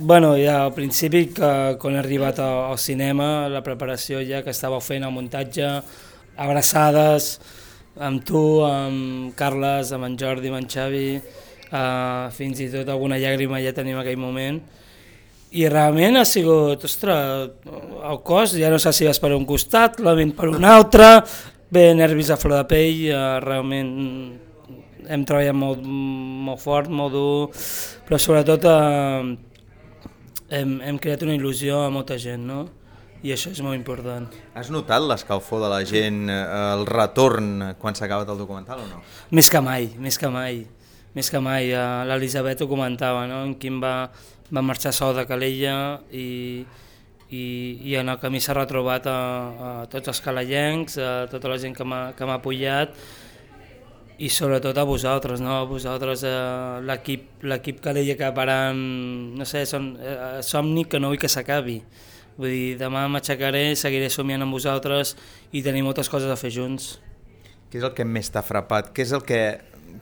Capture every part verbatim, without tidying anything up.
Bueno, ja al principi, que quan he arribat al cinema, la preparació ja que estàveu fent el muntatge, abraçades, amb tu, amb Carles, amb en Jordi, amb en Xavi, eh, fins i tot alguna llàgrima ja tenim en aquell moment. I realment ha sigut, ostres, el cos ja no sé si vas per un costat, la ment per un altre, bé, nervis a flor de pell, eh, realment hem treballat molt, molt fort, molt dur, però sobretot eh, hem, hem creat una il·lusió a molta gent, no? I això és molt important. Has notat l'escalfor de la gent, eh, el retorn quan s'ha acabat el documental o no? Més que mai, més que mai, més que mai. Eh, L'Elisabet ho comentava, no? En Quim va, va marxar sol de Calella i, i, i en el camí s'ha retrobat a, a tots els calayencs, a tota la gent que m'ha que m'ha apoyat i sobretot a vosaltres, no? A vosaltres, eh, l'equip l'equip Calella que parant, no sé, són eh, somni que no vull que s'acabi. Vull dir, demà m'aixecaré, seguiré somiant amb vosaltres i tenim moltes coses a fer junts. Què és el que més t'ha frapat? Què és el que...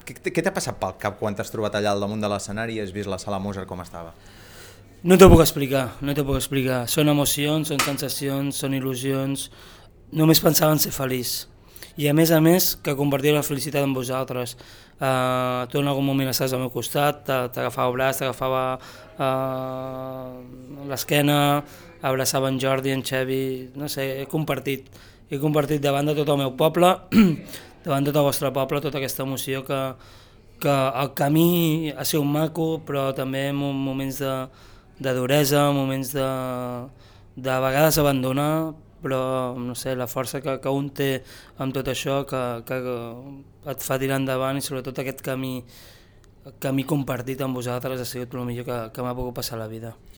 Què què t'ha passat pel cap quan t'has trobat allà al damunt de l'escenari i has vist la sala Mozart com estava? No t'ho puc explicar, no t'ho puc explicar. Són emocions, són sensacions, són il·lusions. Només pensava en ser feliç. I a més a més que compartir la felicitat amb vosaltres. Uh, tu en algun moment estàs al meu costat, t'agafava el braç, t'agafava uh, l'esquena, abraçava en Jordi, en Xavi, no sé, he compartit. He compartit davant de tot el meu poble, davant de tot el vostre poble, tota aquesta emoció que, que el camí ha sigut maco, però també en moments de, de duresa, moments de, de vegades abandonar, però no sé, la força que, que un té amb tot això que, que et fa tirar endavant i sobretot aquest camí, camí compartit amb vosaltres ha sigut el millor que, que m'ha pogut passar a la vida.